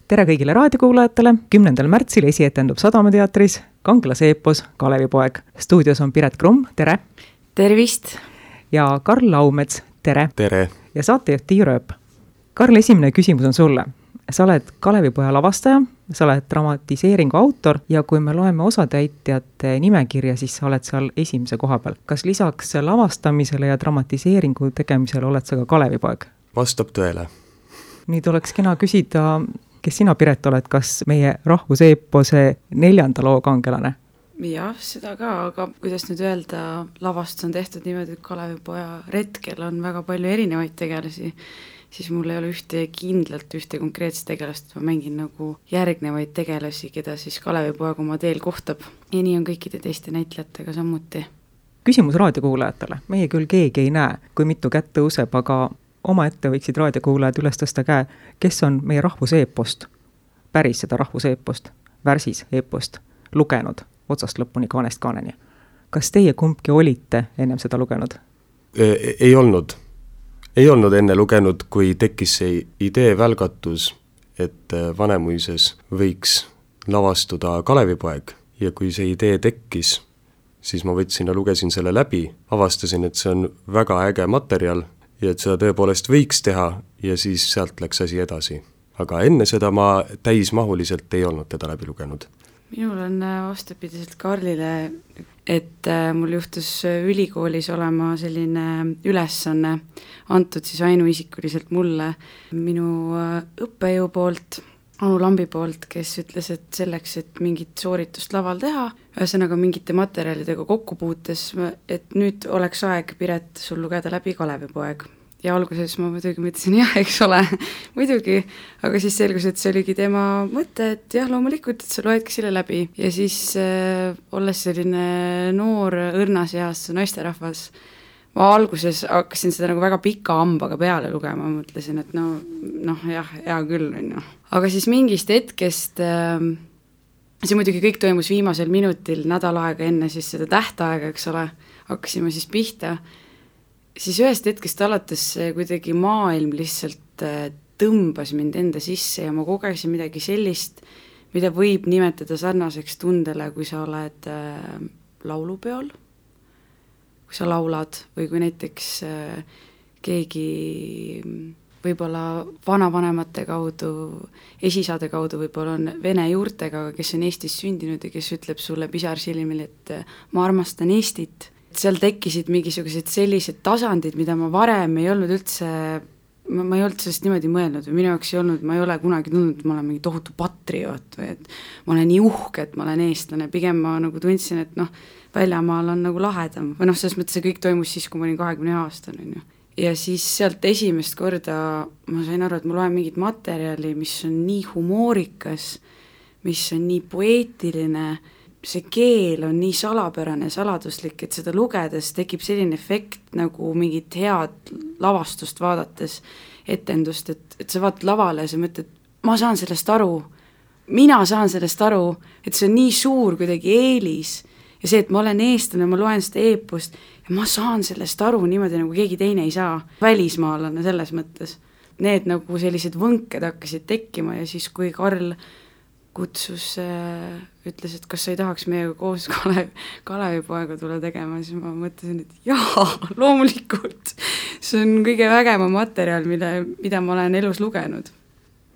tere kõigile raadiokuulajatele, 10. märtsil esietendub Sadamateatris kangelase eepos Kalevipoeg. Stuudios on Piret Krumm, tere! Tervist! Ja Karl Laumets, tere! Tere! Ja saatejuht Tiiu Rööp. Karl, esimene küsimus on sulle. Sa oled Kalevipoja lavastaja, sa oled dramatiseeringu autor ja kui me loeme osatäitjate nimekirja, siis sa oled seal esimese koha peal. Kas lisaks lavastamisele ja dramatiseeringu tegemisele oled sa ka Kalevipoeg? Vastab tõele. Nüüd oleks kena küsida, kes sina, Piret, oled, kas meie rahvuseepose 4. loo kangelane? Jah, seda ka, aga kuidas nüüd öelda, lavastus on tehtud niimoodi, et Kalevipoja retkel on väga palju erinevaid tegelasi, siis mul ei ole ühte konkreetset tegelast, ma mängin nagu järgnevaid tegelasi, keda siis Kalevipoeg oma teel kohtab. Ja nii on kõikide teiste näitlejatega samuti. Küsimus raadiokuulajatele. Meie küll keegi ei näe, kui mitu kätt tõuseb, aga omaette võiksid raadiokuulajad üles tõsta käe, kes on meie rahvuseepost, päris seda rahvuseepost, värsis eepost lugenud otsast lõpuni kaanest kaaneni. Kas teie kumbki olite ennem seda lugenud? Ei olnud. Ei olnud enne lugenud, kui tekkis see idee välgatus, et Vanemuises võiks lavastuda Kalevipoeg. Ja kui see idee tekkis, siis ma võtsin ja lugesin selle läbi, avastasin, et see on väga äge materjal, ja et seda tõepoolest võiks teha ja siis sealt läks asi edasi. Aga enne seda ma täismahuliselt ei olnud teda läbi lugenud. Minul on vastupidiselt Karlile, et mul juhtus ülikoolis olema selline ülesanne antud siis ainuisikuliselt mulle minu õppejõu poolt, Anu Lambi poolt, kes ütles, et selleks, et mingit sooritust laval teha, ühesõnaga mingite materjalidega kokku puutes, et nüüd oleks aeg, Piret, sul lugeda läbi Kalevipoeg. Ja alguses ma muidugi mõtlesin, jah, eks ole, muidugi, aga siis selgus, et see oligi tema mõte, et jah, loomulikult, et sa loedki selle läbi. Ja siis olles selline noor õrnas eas naisterahvas, ma alguses hakkasin seda nagu väga pika hambaga peale lugema, mõtlesin, et jah, hea küll on ju. Aga siis mingist hetkest, see muidugi kõik toimus viimasel minutil, nädal aega enne siis seda tähtaega, eks ole, hakkasime siis pihta, siis ühest hetkest alates kuidagi maailm lihtsalt tõmbas mind enda sisse ja ma kogesin midagi sellist, mida võib nimetada sarnaseks tundele, kui sa oled laulupeol, kui sa laulad või kui näiteks keegi võib-olla vanavanemate kaudu, esisaade kaudu võib-olla on vene juurtega, kes on Eestis sündinud ja kes ütleb sulle pisarsilmil, et ma armastan Eestit. Seal tekkisid mingisugused sellised tasandid, mida ma varem ei olnud üldse, ma ei olnud sellest niimoodi mõelnud või minu jaoks ei olnud, ma ei ole kunagi tundnud, et ma olen mingi tohutu patrioot või et ma olen nii uhke, et ma olen eestlane, pigem ma nagu tundsin, et väljamaal on nagu lahedam või selles mõttes see kõik toimus siis, kui ma olin 20 aastane on ju. Ja siis sealt esimest korda ma sain aru, et ma loen mingit materjali, mis on nii humoorikas, mis on nii poeetiline, see keel on nii salapärane, saladuslik, et seda lugedes tekib selline efekt nagu mingit head lavastust vaadates, etendust, et sa vaatad lavale ja sa mõtled, ma saan sellest aru, mina saan sellest aru, et see on nii suur kuidagi eelis ja see, et ma olen eestlane, ma loen seda eepost ja ma saan sellest aru niimoodi, nagu keegi teine ei saa, välismaalane selles mõttes. Need nagu sellised võnked hakkasid tekkima ja siis, kui Karl kutsus, ütles, et kas sa ei tahaks meiega koos Kalevipoega tulla tegema, siis ma mõtlesin, et jaa, loomulikult. See on kõige vägevam materjal, mida ma olen elus lugenud.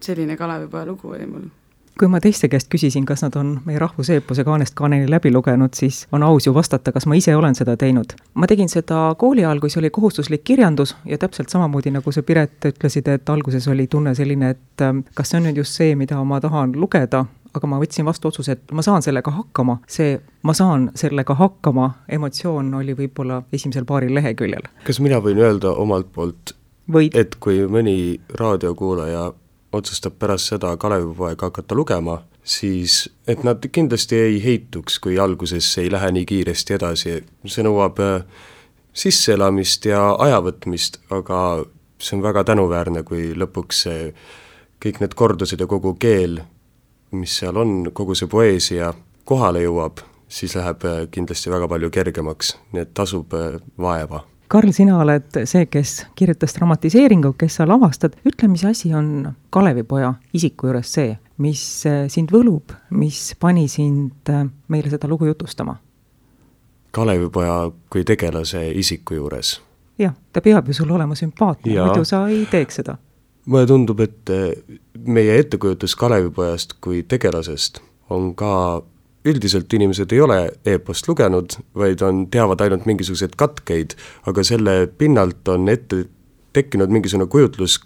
Selline Kalevipoja lugu oli mul. Kui ma teiste käest küsisin, kas nad on meie rahvuseepose kaanest kaaneni läbi lugenud, siis on aus ju vastata, kas ma ise olen seda teinud. Ma tegin seda kooli ajal, kui see oli kohustuslik kirjandus ja täpselt samamoodi, nagu sa, Piret, ütlesid, et alguses oli tunne selline, et kas see on nüüd just see, mida ma tahan lugeda, aga ma võtsin vastu otsuse, et ma saan sellega hakkama. Ma saan sellega hakkama emotsioon oli võib-olla esimesel paaril leheküljel. Kas mina võin öelda omalt poolt, et kui mõni raadiokuulaja otsustab pärast seda Kalevipoeg hakata lugema, siis et nad kindlasti ei heituks, kui alguses ei lähe nii kiiresti edasi. See nõuab sisseelamist ja ajavõtmist, aga see on väga tänuväärne, kui lõpuks kõik need kordused ja kogu keel, mis seal on, kogu see poeesia kohale jõuab, siis läheb kindlasti väga palju kergemaks, nii et tasub vaeva. Karl, sina oled see, kes kirjutas dramatiseeringu, kes sa lavastad. Ütle, mis asi on Kalevipoja isiku juures see, mis sind võlub, mis pani sind meile seda lugu jutustama? Kalevipoja kui tegelase isiku juures. Jah, ta peab ju sul olema sümpaatne, muidu sa ei teeks seda. Mulle tundub, et meie ettekujutus Kalevipojast kui tegelasest on ka, üldiselt inimesed ei ole eepost lugenud, vaid teavad ainult mingisuguseid katkeid, aga selle pinnalt on ette tekkinud mingisugune kujutlus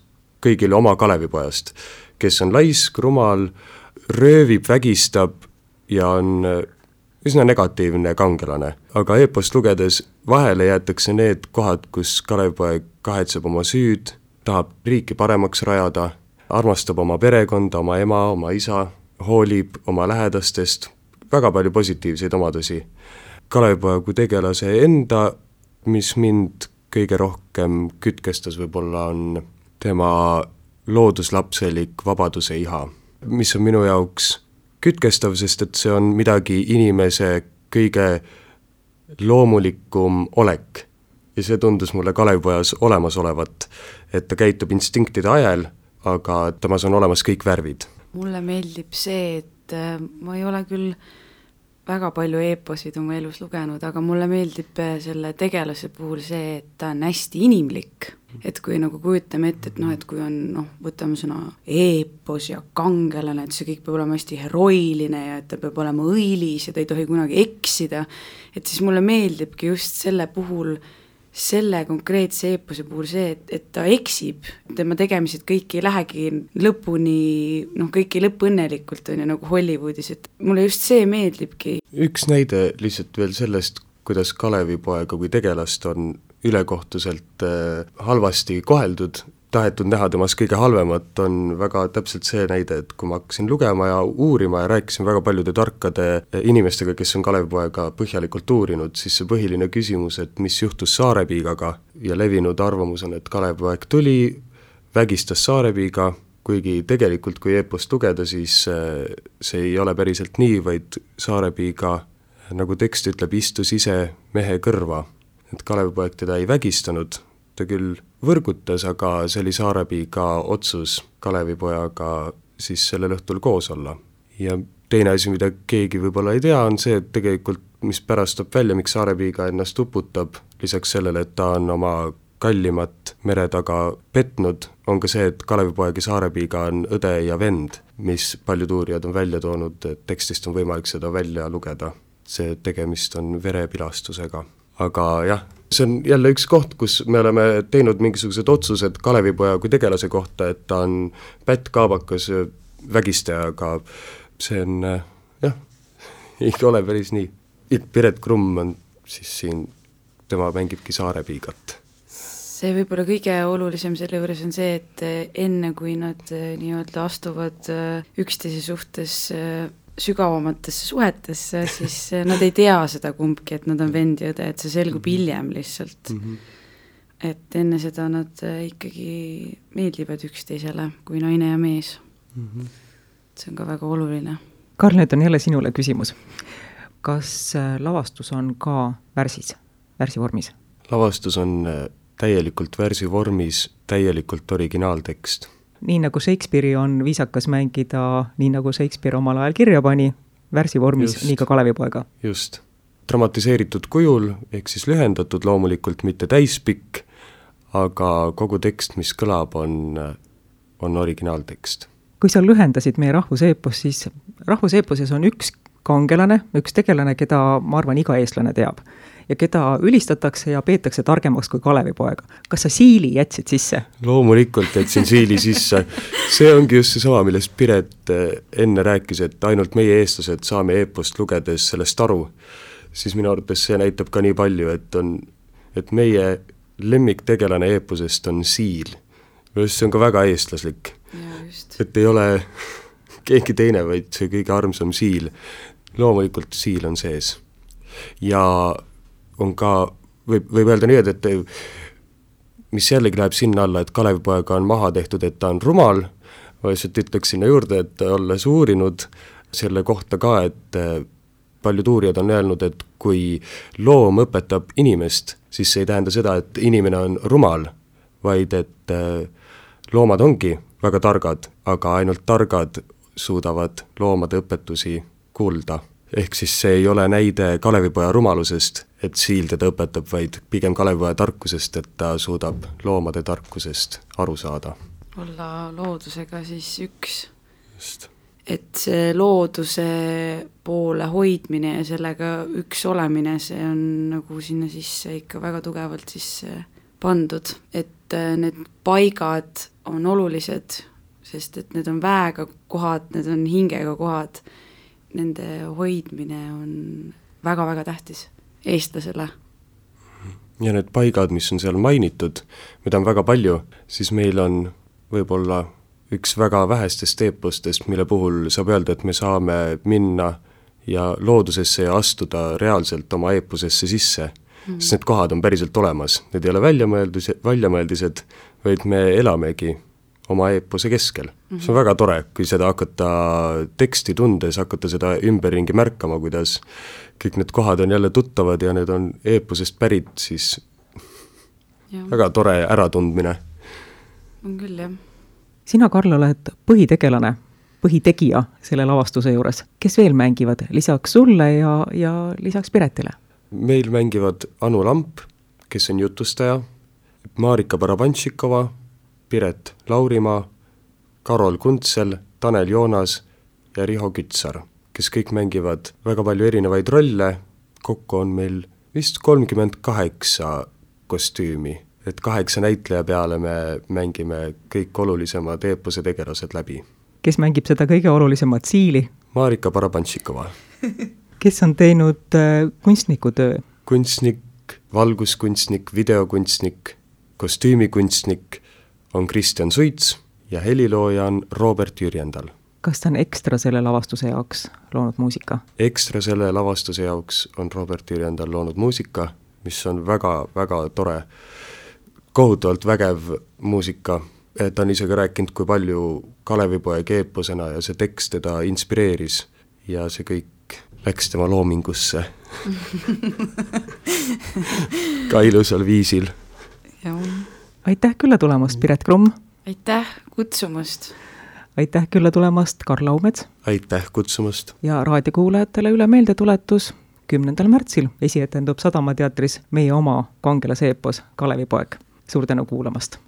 kõigile oma Kalevipojast, kes on laisk, rumal, röövib, vägistab ja on üsna negatiivne kangelane. Aga eepost lugedes vahele jäetakse need kohad, kus Kalevipoeg kahetseb oma süüd, tahab riiki paremaks rajada, armastab oma perekonda, oma ema, oma isa, hoolib oma lähedastest, väga palju positiivseid omadusi. Kalevipoja kui tegelase enda, mis mind kõige rohkem kütkestas võib-olla on tema looduslapselik vabaduse iha, mis on minu jaoks kütkestav, sest et see on midagi inimese kõige loomulikum olek. Ja see tundus mulle Kalevipojas olemas olevat, et ta käitub instinktide ajal, aga temas on olemas kõik värvid. Mulle meeldib see, et ma ei ole küll väga palju eeposid oma elus lugenud, aga mulle meeldib selle tegelase puhul see, et ta on hästi inimlik. Et kui nagu kujutame ette, et kui on, võtame sõna eepos ja kangelane, et see kõik peab olema hästi heroiline ja et ta peab olema õilis ja ta ei tohi kunagi eksida, et siis mulle meeldibki just selle puhul, selle konkreetse eepose puhul see, et ta eksib, tema tegemised kõik ei lähegi lõpuni, kõik ei lõpp õnnelikult on ju nagu Hollywoodis, et mulle just see meeldibki. Üks näide lihtsalt veel sellest, kuidas Kalevipoega kui tegelast on ülekohtuselt halvasti koheldud, tahetud näha temas kõige halvemat, on väga täpselt see näide, et kui ma hakkasin lugema ja uurima ja rääkisin väga paljude tarkade inimestega, kes on Kalevipoega põhjalikult uurinud, siis see põhiline küsimus, et mis juhtus Saarepiigaga ja levinud arvamus on, et Kalevipoeg tuli, vägistas Saarepiiga, kuigi tegelikult kui eepost lugeda, siis see ei ole päriselt nii, vaid Saarepiiga, nagu tekst ütleb, istus ise mehe kõrva. Et Kalevipoeg teda ei vägistanud, ta küll võrgutas, aga see oli Saarepiiga otsus Kalevipojaga siis sellel õhtul koos olla. Ja teine asi, mida keegi võib-olla ei tea, on see, et tegelikult, mis pärast toob välja, miks Saarepiiga ennast uputab, lisaks sellele, et ta on oma kallimat mere taga petnud, on ka see, et Kalevipoeg ja Saarepiiga on õde ja vend, mis paljud uurijad on välja toonud, et tekstist on võimalik seda välja lugeda. See tegemist on verepilastusega. Aga jah, see on jälle üks koht, kus me oleme teinud mingisugused otsused Kalevipoja kui tegelase kohta, et ta on pätt, kaabakas, vägistaja, aga see on, ei ole päris nii. Piret Krumm on siis siin, tema mängibki Saarepiigat. See võib-olla kõige olulisem selle juures on see, et enne kui nad nii-öelda astuvad üksteise suhtes sügavamatesse suhetesse, siis nad ei tea seda kumbki, et nad on vend ja õde, et see selgub hiljem lihtsalt. Et enne seda nad ikkagi meeldivad üksteisele kui naine ja mees. See on ka väga oluline. Karl, nüüd on jälle sinule küsimus. Kas lavastus on ka värsivormis? Lavastus on täielikult värsivormis, täielikult originaaltekst. Nii nagu Shakespeare'i on viisakas mängida, nii nagu Shakespeare omal ajal kirja pani, värsivormis, nii ka Kalevipoega. Just. Dramatiseeritud kujul, ehk siis lühendatud loomulikult, mitte täispikk, aga kogu tekst, mis kõlab, on originaaltekst. Kui sa lühendasid meie rahvuseepos, siis rahvuseeposes on üks kangelane, üks tegelane, keda ma arvan iga eestlane teab ja keda ülistatakse ja peetakse targemaks kui Kalevipoega. Kas sa Siili jätsid sisse? Loomulikult jätsin Siili sisse. See ongi just see sama, millest Piret enne rääkis, et ainult meie eestlased saame eepost lugedes sellest aru. Siis minu arvates see näitab ka nii palju, et meie lemmiktegelane eeposest on Siil. See on ka väga eestlaslik. Et ei ole keegi teine, vaid see kõige armsam Siil. Loomulikult Siil on sees. Ja on ka, võib öelda nii, et mis jällegi läheb sinna alla, et Kalevipoega on maha tehtud, et ta on rumal, ma lihtsalt ütleks sinna juurde, et olles uurinud selle kohta ka, et paljud uurijad on öelnud, et kui loom õpetab inimest, siis see ei tähenda seda, et inimene on rumal, vaid et loomad ongi väga targad, aga ainult targad suudavad loomade õpetusi kuulda. Ehk siis see ei ole näide Kalevipoja rumalusest, et Siil teda õpetab, vaid pigem Kalevipoja tarkusest, et ta suudab loomade tarkusest aru saada. Olla loodusega siis üks. Just. Et see looduse poole hoidmine ja sellega üks olemine, see on nagu sinna sisse ikka väga tugevalt sisse pandud, et need paigad on olulised, sest et need on väega kohad, need on hingega kohad, nende hoidmine on väga-väga tähtis eestlasele. Ja need paigad, mis on seal mainitud, mida on väga palju, siis meil on võib-olla üks väga vähestest eepostest, mille puhul saab öelda, et me saame minna ja loodusesse ja astuda reaalselt oma eeposesse sisse. Sest need kohad on päriselt olemas, need ei ole väljamõeldised, vaid me elamegi oma eepose keskel. See on väga tore, kui seda hakata teksti tundes, hakata seda ümberringi märkama, kuidas kõik need kohad on jälle tuttavad ja need on eeposest pärit, siis väga tore äratundmine. On küll, jah. Sina, Karl, oled põhitegelane, põhitegija selle lavastuse juures. Kes veel mängivad lisaks sulle ja lisaks Piretile? Meil mängivad Anu Lamp, kes on jutustaja, Marika Barabantšikova, Piret Laurimaa, Karol Kuntsel, Tanel Joonas ja Riho Kütsar, kes kõik mängivad väga palju erinevaid rolle. Kokku on meil vist 38 kostüümi, et 8 näitleja peale me mängime kõik olulisemad eepose tegelased läbi. Kes mängib seda kõige olulisemat Siili? Marika Barabantšikova. Kes on teinud kunstnikutöö? Kunstnik, valguskunstnik, videokunstnik, kostüümikunstnik on Kristjan Suits ja helilooja on Robert Jürjendal. Kas ta on ekstra selle lavastuse jaoks loonud muusika? Ekstra selle lavastuse jaoks on Robert Jürjendal loonud muusika, mis on väga-väga tore, kohutavalt vägev muusika. Ta on isegi rääkinud, kui palju Kalevipoja eeposena ja see tekst teda inspireeris ja see kõik läks tema loomingusse ka ilusal viisil. Aitäh külla tulemast, Piret Krumm! Aitäh kutsumast! Aitäh külla tulemast, Karl Laumets! Aitäh kutsumast! Ja raadiokuulajatele üle meeldetuletus, 10. märtsil esietendub Sadama teatris meie oma kangelase eepos Kalevipoeg. Suur tänu kuulamast!